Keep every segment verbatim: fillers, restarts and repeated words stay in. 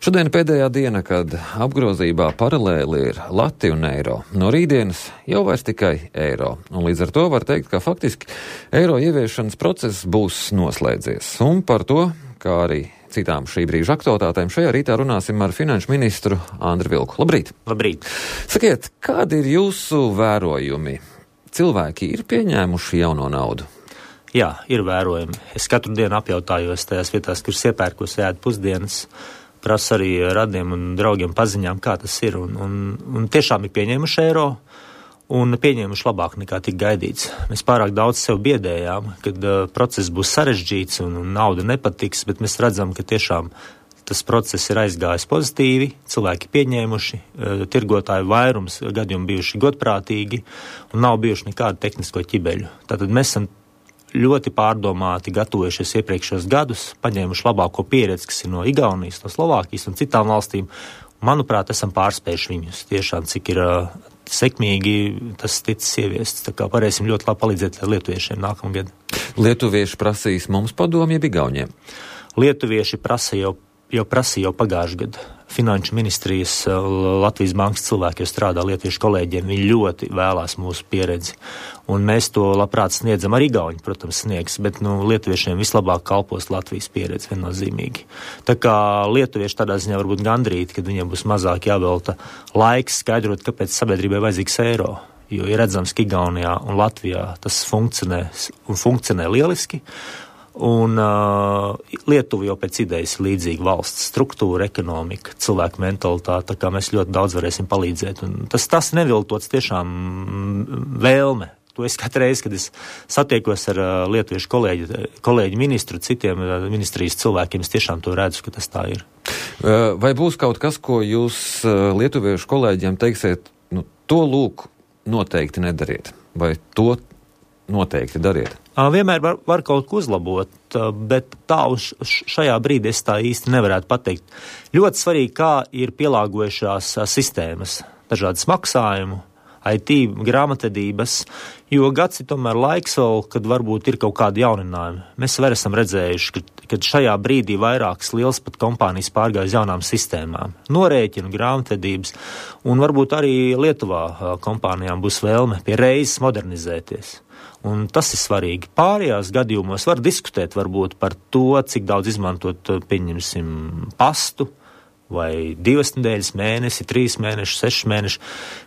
Šodien pēdējā diena, kad apgrozībā paralēli ir lati un eiro. No rītdienas jau vairs tikai eiro. Un līdz ar to var teikt, ka faktiski eiro ieviešanas process būs noslēdzies. Un par to, kā arī citām šī brīža aktualitātēm, šajā rītā runāsim ar finanšu ministru Andri Vilku. Labrīt! Labrīt! Sakiet, kādi ir jūsu vērojumi? Cilvēki ir pieņēmuši jauno naudu? Jā, ir vērojumi. Es katru dienu apjautājos tajās vietās, kuras iepērkos ēd pusdienas, prasu arī radiem un draugiem paziņām, kā tas ir. Un, un, un tiešām ir pieņēmuši eiro un pieņēmuši labāk nekā tik gaidīts. Mēs pārāk daudz sev biedējām, kad uh, process būs sarežģīts un, un nauda nepatiks, bet mēs redzam, ka tiešām tas process ir aizgājis pozitīvi, cilvēki pieņēmuši, uh, tirgotāju vairums gadījumi bijuši godprātīgi un nav bijuši nekādu tehnisko ķibeļu. Tātad mēs esam ļoti pārdomāti gatavojušies iepriekšējos gadus, paņēmuši labāko pieredzi, kas ir no Igaunijas, no Slovākijas un citām valstīm. Manuprāt, esam pārspējuši viņus tiešām, cik ir uh, sekmīgi tas ticis ieviests. Tā kā varēsim ļoti labi palīdzēt lietuviešiem nākamgad. Lietuvieši prasīs mums padomu, jeb igauniem? Lietuvieši prasa jau, jau prasīja jau pagājuši gadu. Finanšu ministrijas Latvijas bankas cilvēki jau strādā lietuviešu kolēģiem, viņi ļoti vēlās mūsu pieredzi. Un mēs to labprāt sniedzam, arī igauņi, protams, sniegs, bet nu, lietuviešiem vislabāk kalpos Latvijas pieredzi viennozīmīgi. Tā kā lietuvieši tādā ziņā varbūt gandrīti, kad viņiem būs mazāk jāvelta laiks skaidrot, kāpēc sabiedrībai vajadzīgs eiro. Jo ir redzams, ka Igaunijā un Latvijā tas funkcionē un funkcionē lieliski. Un uh, Lietuva jau pēc idejas ir līdzīga valsts struktūra, ekonomika, cilvēku mentalitāte, tā kā mēs ļoti daudz varēsim palīdzēt. Un tas, tas neviltots tiešām vēlme. To es katru reizi, kad es satiekos ar uh, lietuviešu kolēģi, kolēģi ministru, citiem uh, ministrijas cilvēkiem, es tiešām to redzu, ka tas tā ir. Vai būs kaut kas, ko jūs uh, lietuviešu kolēģiem teiksiet, nu, to lūk noteikti nedariet, vai to noteikti dariet? Vienmēr var, var kaut ko uzlabot, bet tā uz šajā brīdī es tā īsti nevarētu pateikt. Ļoti svarīgi, kā ir pielāgojušās sistēmas, dažādas maksājumu, I T, grāmatvedības, jo gads ir tomēr laiks vēl, kad varbūt ir kaut kādi jauninājumi. Mēs vēl esam redzējuši, ka, kad šajā brīdī vairākas liels pat kompānijas pārgāja uz jaunām sistēmām, norēķinu, grāmatvedības, un varbūt arī Lietuvā kompānijām būs vēlme pie reizes modernizēties. Un tas ir svarīgi. Pārējās gadījumos var diskutēt varbūt par to, cik daudz izmantot, pieņemsim, pastu, vai divas nedēļas, mēnesi, trīs mēneši, seši mēneši,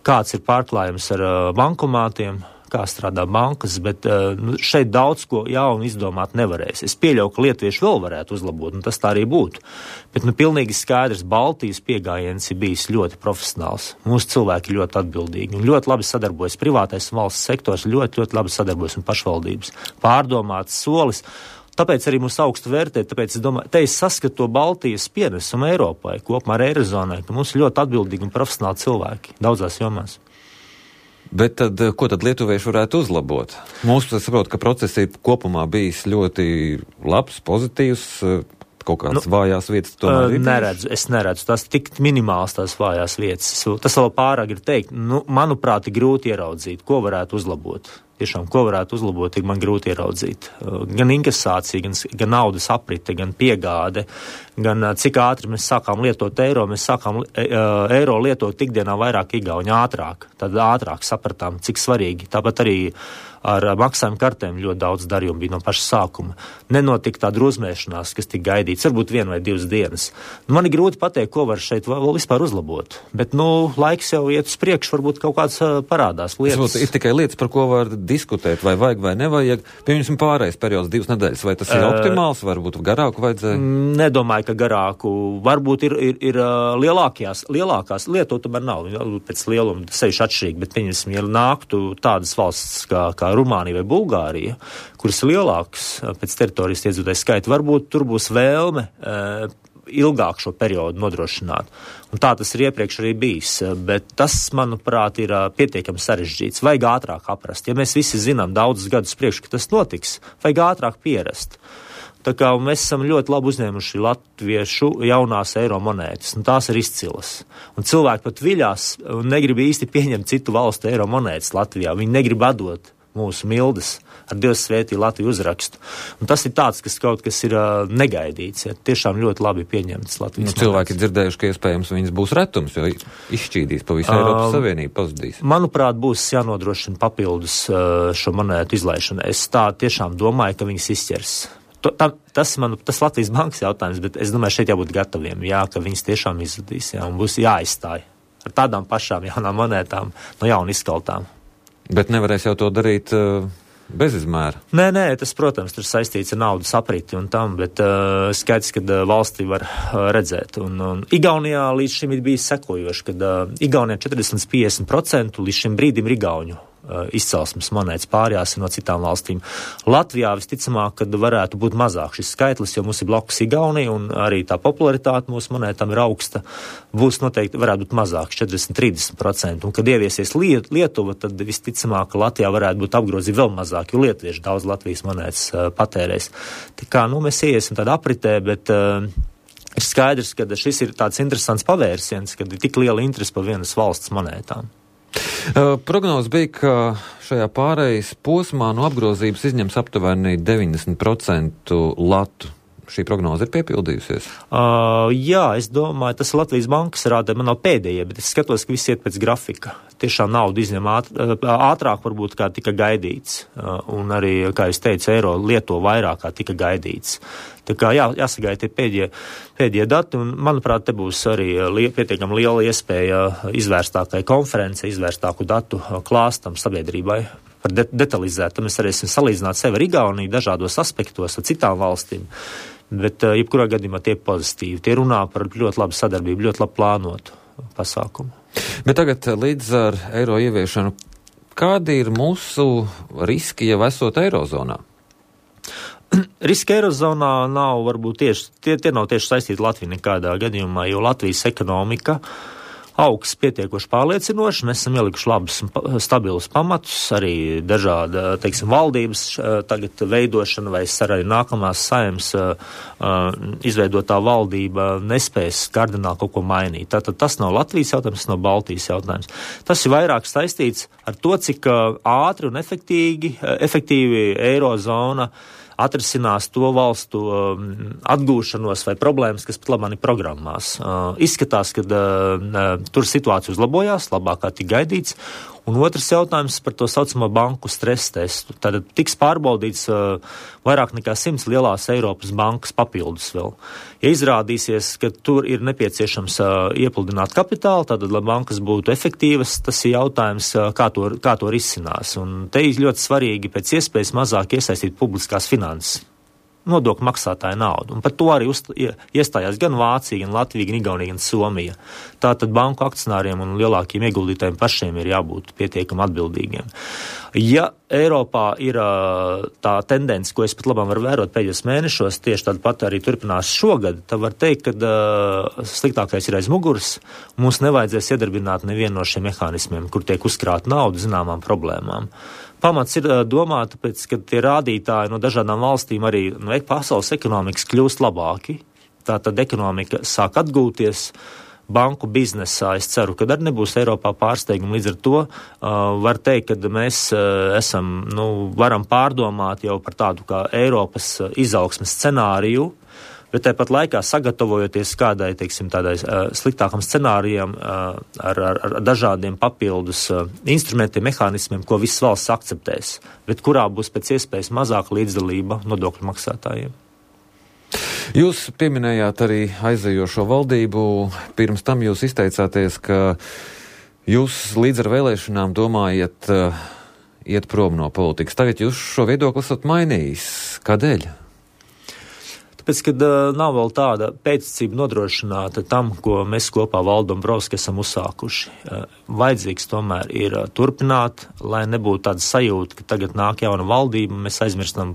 kāds ir pārklājums ar uh, bankomātiem, kā strādā bankas, bet uh, šeit daudz ko jaunu izdomāt nevarēs. Es pieļauju, ka lietuvieši vēl varētu uzlabot, un tas tā arī būtu. Bet nu pilnīgi skaidrs, Baltijas piegājiens ir bijis ļoti profesionāls. Mūsu cilvēki ļoti atbildīgi un ļoti labi sadarbojas. Privātais un valsts sektors ļoti, ļoti labi sadarbojas un pašvaldības. Pārdomāts solis. Tāpēc arī mūs augstu vērtē, tāpēc es domāju, te es saskatu to Baltijas pienesumu Eiropai, kopumā ar Eirozonai, ka mums ir ļoti atbildīgi un profesionāli cilvēki daudzās jomās. Bet tad, ko tad lietuvieši varētu uzlabot? Mums, es saprotu, ka process ir kopumā bijis ļoti labs, pozitīvs, kaut kādas nu, vājās vietas tomēr ir? Neredzu, es neredzu, tās tik minimāls tās vājās vietas. Tas vēl pārāk ir teikt, nu, manuprāt, ir grūti ieraudzīt, ko varētu uzlabot. Tiešām, ko varētu uzlabot, ir man grūti ieraudzīt. Gan inkasācija, gan, gan naudas aprite, gan piegāde, gan cik ātri mēs sākām lietot eiro, mēs sākām e, eiro lietot ikdienā vairāk igauņu ātrāk. Tad ātrāk sapratām, cik svarīgi. Tāpat arī ar maksājumu kartēm ļoti daudz darījumu bija no paša sākuma. Nenotika tā drūzmēšanās, kas tika gaidīts, varbūt viena vai divas dienas. Nu, man ir grūti pateikt, ko var šeit vēl vispār uzlabot. Bet, nu, laiks jau iet uz priekšu, varbūt kaut kāds parādās lietas. Ir tikai lietas, par ko var diskutēt, vai vajag vai nevajag. Piemēram, pārējais periods divas nedēļas, vai tas ir optimāls, varbūt garāku vajadzēja? Nedomāju, ka garāku. Varbūt ir, ir, ir lielākās, lielākās lietot tomēr nav. Pēc lieluma sevišķi atšķirīgi, bet, pieņemsim, ja nāktu tādas valsts kā, kā Rumānija vai Bulgārija, kuras ir lielākas pēc teritorijas iedzīvotāju skaita, varbūt tur būs vēlme e, ilgāk šo periodu nodrošināt. Un tā tas ir iepriekš arī bijis, bet tas, manuprāt, ir pietiekami sarežģīts. Vajag ātrāk aprast. Ja mēs visi zinām daudzus gadus priekš, ka tas notiks, vajag ātrāk pierast. Tā kā mēs esam ļoti labi uzņēmuši latviešu jaunās eiro monētas, un tās ir izcilas. Un cilvēki pat viļās un negrib īsti pieņemt citu valstu eiro monētas Latvijā. Viņi negrib atdot mūsu Mildes ar Dievs svētī Latviju uzrakstu. Un tas ir tāds, kas kaut kas ir uh, negaidīts, ja tiešām ļoti labi pieņemts Latvijas. Nu, cilvēki ir dzirdējuši, ka iespējams viņas būs retums, jo izšķīdīs pa visu Eiropas uh, Savienību, pazudīs. Manuprāt, būs jānodrošina papildus uh, šo monētu izlaišanu. Es tā tiešām domāju, ka viņas izķers. To, tā, tas man, tas Latvijas bankas jautājums, bet es domāju, šeit jābūt gataviem, jā, ka viņas tiešām izzudīs, jā, un būs jāizstāj ar tādām pašām jaunām monētām, no jauna izskaltām. Bet nevarēs jau to darīt uh, bez izmēra. Nē, nē, tas, protams, tur saistīts ar naudas apriti un tam, bet uh, skaidrs, kad uh, valstī var uh, redzēt. Un, un Igaunijā līdz šim ir bijis sekojoši, kad uh, Igaunijā četrdesmit līdz piecdesmit procenti līdz šim brīdim ir igauņu uh, izcelsmes monētas, pārējās no citām valstīm. Latvijā visticamāk, kad varētu būt mazāk šis skaitlis, jo mums ir blakus Igaunija un arī tā popularitāte mūsu monētām ir augsta, būs noteikti varētu būt mazāk, četrdesmit līdz trīsdesmit procenti. Un kad ieviesies Liet, Lietuva, tad visticamāk, ka Latvijā varētu būt apgrozība vēl mazāk, jo lietuvieši daudz Latvijas monētas uh, patērēs. Tā kā, nu, mēs iesim tādā apritē, bet uh, ir skaidrs, ka šis ir tāds interesants pavērsiens, kad ir tik liela interese par vienas valsts monētām. Uh, prognoze bija, ka šajā pārejas posmā no apgrozības izņems aptuveni deviņdesmit procentu latu. Šī prognoze ir piepildījusies? Uh, jā, es domāju, tas Latvijas bankas rāda, man nav pēdējie, bet es skatos, ka viss iet pēc grafika. Tiešām naudu izņem ātr, ātrāk varbūt kā tika gaidīts. Uh, un arī, kā es teicu, eiro lieto vairāk kā tika gaidīts. Tā kā jā, jāsagaida tie pēdējie, pēdējie dati, un manuprāt, te būs arī li, pietiekami liela iespēja izvērstākai konferencei, izvērstāku datu klāstam sabiedrībai. Par de- detalizētu, mēs varēsim salīdzināt sevi ar Igauniju dažādos aspektos ar citām valstīm, bet uh, jebkurā gadījumā tie pozitīvi. Tie runā par ļoti labu sadarbību, ļoti labu plānotu pasākumu. Bet tagad līdz ar eiro ieviešanu, kādi ir mūsu riski jau esot eirozonā? Riski eirozonā nav varbūt tieši, tie, tie nav tieši saistīti Latviju nekādā gadījumā, jo Latvijas ekonomika augs pietiekoši pārliecinoši, mēs esam ielikuši labus un stabilus pamatus, arī dažāda, teiksim, valdības tagad veidošana vai arī nākamās saimnes izveidotā valdība nespēs kardināli kaut ko mainīt. Tātad tas nav Latvijas jautājums, tas nav Baltijas jautājums. Tas ir vairāk saistīts ar to, cik ātri un efektīvi, efektīvi eirozona atrisinās to valstu um, atgūšanos vai problēmas, kas pat labāk ir programmās. Uh, izskatās, ka uh, tur situācija uzlabojās, labāk kā tik gaidīts. Un otrs jautājums par to saucamo banku stresa testu. Tātad tiks pārbaudīts uh, vairāk nekā simts lielās Eiropas bankas papildus vēl. Ja izrādīsies, ka tur ir nepieciešams uh, iepludināt kapitālu, tātad, lai bankas būtu efektīvas, tas ir jautājums, uh, kā, to, kā to risinās. Un te ir ļoti svarīgi pēc iespējas mazāk iesaistīt publiskās finanses. Nodokļu maksātāja naudu. Un par to arī uzst, iestājās gan Vācija, gan Latvija, gan Igaunija, gan Somija. Tātad banku akcionāriem un lielākiem ieguldītājiem pašiem ir jābūt pietiekami atbildīgiem. Ja Eiropā ir tā tendence, ko es pat labāk varu vērot pēdējos mēnešos, tieši tāda pat arī turpinās šogad, tad var teikt, ka uh, sliktākais ir aiz muguras. Mums nevajadzēs iedarbināt nevienu no šiem mehānismiem, kur tiek uzkrāta nauda zināmām problēmām. Pamats ir domāt, tāpēc, ka tie rādītāji no dažādām valstīm arī no pasaules ekonomikas kļūst labāki. Tātad ekonomika sāk atgūties, banku biznesā es ceru, ka arī nebūs Eiropā pārsteigumi. Līdz ar to uh, var teikt, ka mēs uh, esam, nu, varam pārdomāt jau par tādu kā Eiropas izaugsmes scenāriju, bet tāpat laikā sagatavojoties kādai, teiksim, tādai uh, sliktākam scenārijam uh, ar, ar, ar dažādiem papildus uh, instrumentiem, mehānismiem, ko visas valsts akceptēs, bet kurā būs pēc iespējas mazāka līdzdalība nodokļu maksātājiem. Jūs pieminējāt arī aizejošo valdību. Pirms tam jūs izteicāties, ka jūs līdz ar vēlēšanām domājat uh, iet prom no politikas. Tagad jūs šo viedokli esat mainījis. Kādēļ? Tāpēc, kad uh, nav vēl tāda pēcticība nodrošināta tam, ko mēs kopā Valdu Dombrovski esam uzsākuši. Uh, vajadzīgs tomēr ir uh, turpināt, lai nebūtu tāda sajūta, ka tagad nāk jauna valdība, mēs aizmirstam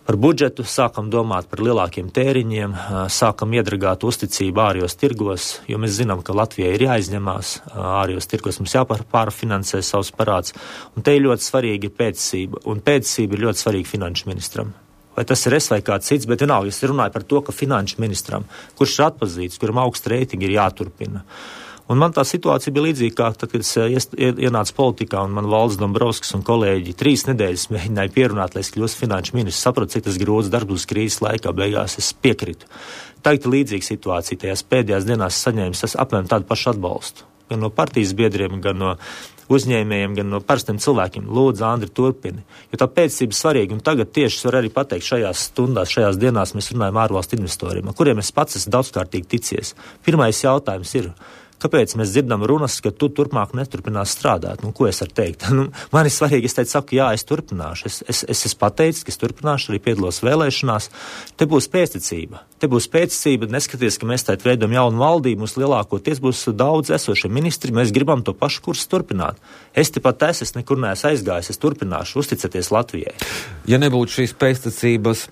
par budžetu, sākam domāt par lielākiem tēriņiem, uh, sākam iedragāt uzticību ārējos tirgos, jo mēs zinām, ka Latvijai ir jāizņemās uh, ārējos tirgos, mums jāpārfinansē savus parāds, un te ir ļoti svarīga pēcticība, un pēcticība ir ļoti svarīga finanšu ministram. Vai tas ir es vai kāds cits, bet vienalga, es runāju par to, ka finanšu ministram, kurš ir atpazīts, kuram augsta reitingi ir jāturpina. Un man tā situācija bija līdzīga, kā tad, kad es ienācu politikā un man Valdis Dombrovskis un kolēģi trīs nedēļas mēģināja pierunāt, lai es kļūstu finanšu ministrs. Sapratu, cik tas grūts darbs krīzes laikā, beigās es piekritu. Tagad ir līdzīga situācija. Tajās pēdējās dienās saņēmis apmēram tādu pašu atbalstu. Gan no partijas biedriem, gan no uzņēmējiem, gan no parastiem cilvēkiem. Lūdzu, Andri, turpini. Jo tā pēcība svarīga. Un tagad tieši es varu arī pateikt, šajās stundās, šajās dienās mēs runājam ārvalstu investoriem, kuriem es pats esmu daudzkārtīgi ticies. Pirmais jautājums ir, kāpēc mēs dzirdam runas, ka tu turpmāk neturpinās strādāt? Nu, ko es varu teikt? Nu, man ir svarīgi, es teicu, saku, jā, es turpināšu. Es, es, es esmu pateicis, ka es turpināšu, arī piedalos vēlēšanās. Te būs pēcticība. Te būs pēcticība, neskaties, ka mēs tēt veidam jaunu valdību, mums lielākoties būs daudz esošie ministri, mēs gribam to pašu kursu turpināt. Es tepat es, es nekur neesmu aizgājis, es turpināšu, uzticaties Latvijai. Ja nebūtu šīs pēcticības,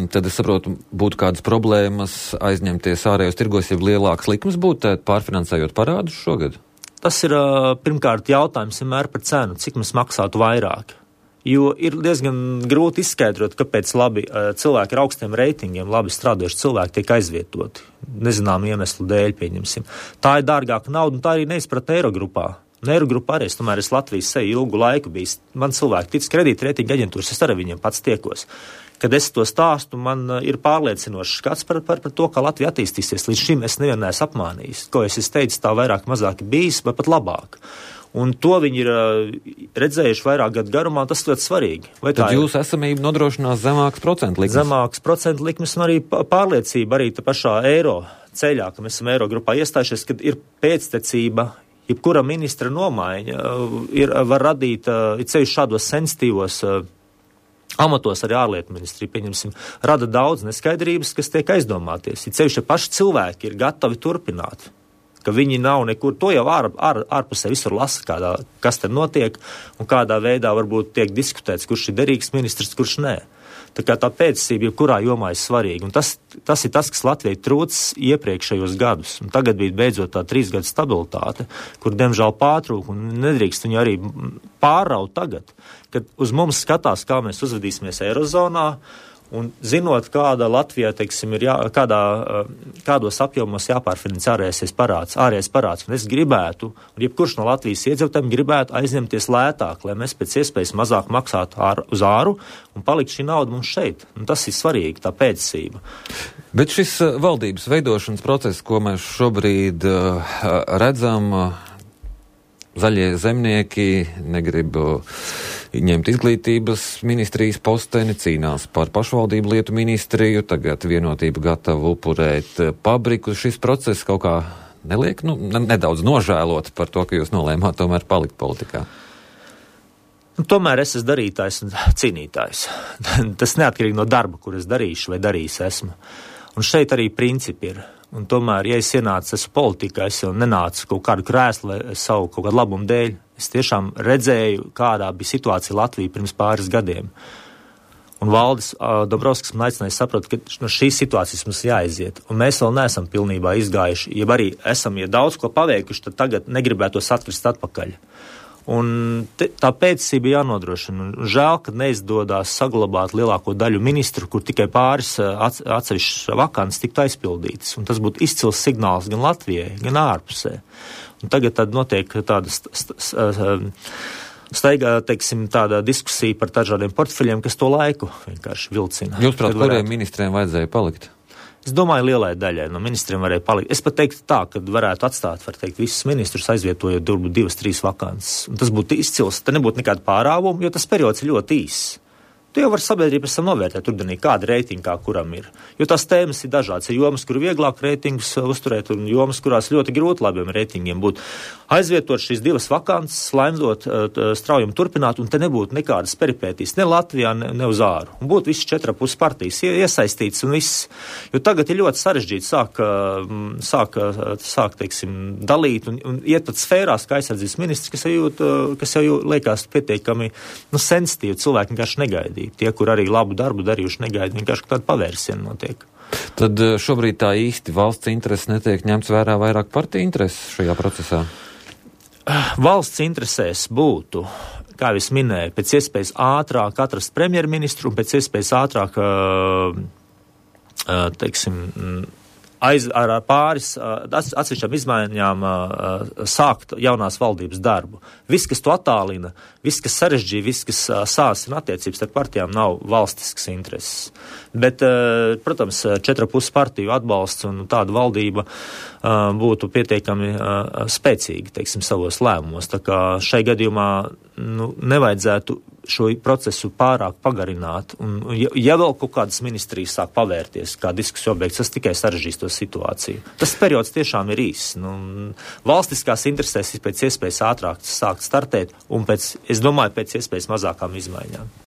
tad es saprotu, būtu kādas problēmas aizņemties ārējos tirgos, ja lielāks likums būtu pārfinansējot parādus šogad? Tas ir pirmkārt jautājums vienmēr par cenu, cik mēs maksātu vairāk. Jo ir diezgan grūti izskaidrot, kāpēc labi cilvēki ar augstiem reitingiem, labi strādājuši cilvēki tiek aizvietoti. Nezinām iemeslu dēļ, pieņemsim. Tā ir dārgāka nauda, un tā arī neizpratne Eirogrupā. Eirogrupa arī, es tomēr es Latvijas seju ilgu laiku bijis. Man cilvēki tic kredīta reitinga aģentūras, es arī viņiem pats tiekos. Kad es to stāstu, man ir pārliecinošs skats par, par, par to, kā Latvija attīstīsies. Līdz šim es nevienu neesmu apmānījis. Ko es teicu, tā vairāk mazāk bijis, vai pat labāk. Un to viņi ir redzējuši vairāk gadu garumā, tas ļoti svarīgi. Vai Tad jūsu esamība nodrošinās zemāks procentu likmes? Zemāks procentu likmes un arī pārliecība arī tā pašā eiro ceļā, ka mēs esam eiro grupā iestājušies, kad ir pēctecība. Jebkura ministra nomaiņa ir, var radīt ir ceļš šādos sensitīvos amatos arī ārlietu ministrija, pieņemsim, rada daudz neskaidrības, kas tiek aizdomāties. Ir ceļš, ja paši cilvēki ir gatavi turpināt, ka viņi nav nekur, to jau ār, ār, ārpusē visur lasa, kādā, kas te notiek un kādā veidā varbūt tiek diskutēts, kurš ir derīgs ministrs, kurš nē. Tā kā tā pēcticība jebkurā jomā ir svarīga. Un tas, tas ir tas, kas Latvijai trūcis iepriekšējos gadus. Un tagad bija beidzot tā trīs gadu stabilitāte, kur, diemžēl, pārtrūk un nedrīkst viņu arī pārraut tagad, kad uz mums skatās, kā mēs uzvedīsimies Eirozonā, un zinot, kāda Latvijā, teiksim, ir jā, kādā, kādos apjomos jāpārfinansē ārējais parāds, ārējais parāds. Un es gribētu, un jebkurš no Latvijas iedzīvotājiem gribētu aizņemties lētāk, lai mēs pēc iespējas mazāk maksātu ār, uz āru un palikt šī nauda mums šeit. Un tas ir svarīgi, tā pēcticība. Bet šis valdības veidošanas process, ko mēs šobrīd uh, redzam, uh, zaļie zemnieki negrib ņemt izglītības ministrijas posteni, cīnās par pašvaldību lietu ministriju, tagad Vienotība gatava upurēt pabriku. Šis process kaut kā neliek, nu, nedaudz nožēlot par to, ka jūs nolēmāt tomēr palikt politikā? Nu, tomēr es esmu darītājs un cīnītājs. Tas neatkarīgi no darba, kur es darīšu vai darījis esmu. Un šeit arī principi ir. Un tomēr, ja es ienācu, esmu politikā, es jau nenācu kaut kādu krēslu vai savu kaut kādu labumu dēļ. Es tiešām redzēju, kādā bija situācija Latvija pirms pāris gadiem. Un Valdis uh, Dombrovskis man aicināja saprast, ka no šīs situācijas mums jāiziet. Un mēs vēl neesam pilnībā izgājuši, ja arī esam, ja daudz ko paveikuši, tad tagad negribētos atkrist atpakaļ. Un te, tā pēcticība jānodrošina. Žēl, ka neizdodās saglabāt lielāko daļu ministru, kur tikai pāris atsevišķas vakants tiktu aizpildītas. Un tas būtu izcils signāls gan Latvijai, gan ārpusē. Un tagad tad notiek tāda st- st- st- staigā, teiksim, tāda diskusija par dažādiem portfeļiem, kas to laiku vienkārši vilcina. Jūs prāt, kuriem ministriem vajadzēja palikt? Es domāju, lielai daļai no ministriem varēja palikt. Es pat teiktu tā, ka varētu atstāt, var teikt, visus ministrus aizvietojot durbu divas, trīs vakances. Un tas būtu izcils, te nebūtu nekāda pārāvuma, jo tas periods ir ļoti īss. Tu jau vari sabiedrību esam novērtēt rudenī, kāda reitinga kā kuram ir. Jo tās tēmas ir dažādas. Ir jomas, kur vieglāk reitingus uzturēt, un jomas, kurās ļoti grūti labiem reitingiem būtu. Aizvietot šīs divas vakances, laimdot, straujam turpināt, un te nebūtu nekādas peripētīs ne Latvijā, ne, ne uz āru. Un būtu visas četras puses partijas iesaistītas un viss. Jo tagad ir ļoti sarežģīti sāk, sāk, sāk teiksim, dalīt un, un iet pat sfērās, kā aizsardzības ministrs, kas jau, jūt, kas jau liekas pietiekami nu, sensitīvi, cilvēki vienkārši negaidīja. Tie, kur arī labu darbu darījuši, negaida, vienkārši tāda pavērsiena notiek. Tad šobrīd tā īsti valsts interesi netiek ņemts vērā vairāk partiju intereses šajā procesā? Valsts interesēs būtu, kā es minēju, pēc iespējas ātrāk atrast premjerministru un pēc iespējas ātrāk, teiksim, aiz, ar pāris atsevišķām izmaiņām sākt jaunās valdības darbu. Viss, kas to attālina, viss, kas sarežģīja, viss, kas sāsina attiecības ar partijām, nav valstisks intereses. Bet, protams, četra pus partiju atbalsts un tāda valdība būtu pietiekami spēcīgi, teiksim, savos lēmumos. Tā kā šai gadījumā nu, nevajadzētu šo procesu pārāk pagarināt. Un, ja, ja vēl kaut kādas ministrijas sāk pavērties, kā diskusija objekts, tas tikai sarežģīs to situāciju. Tas periods tiešām ir īss. Nu, valstiskās interesēs pēc iespējas ātrāk sākt startēt un pēc, es domāju, pēc iespējas mazākām izmaiņām.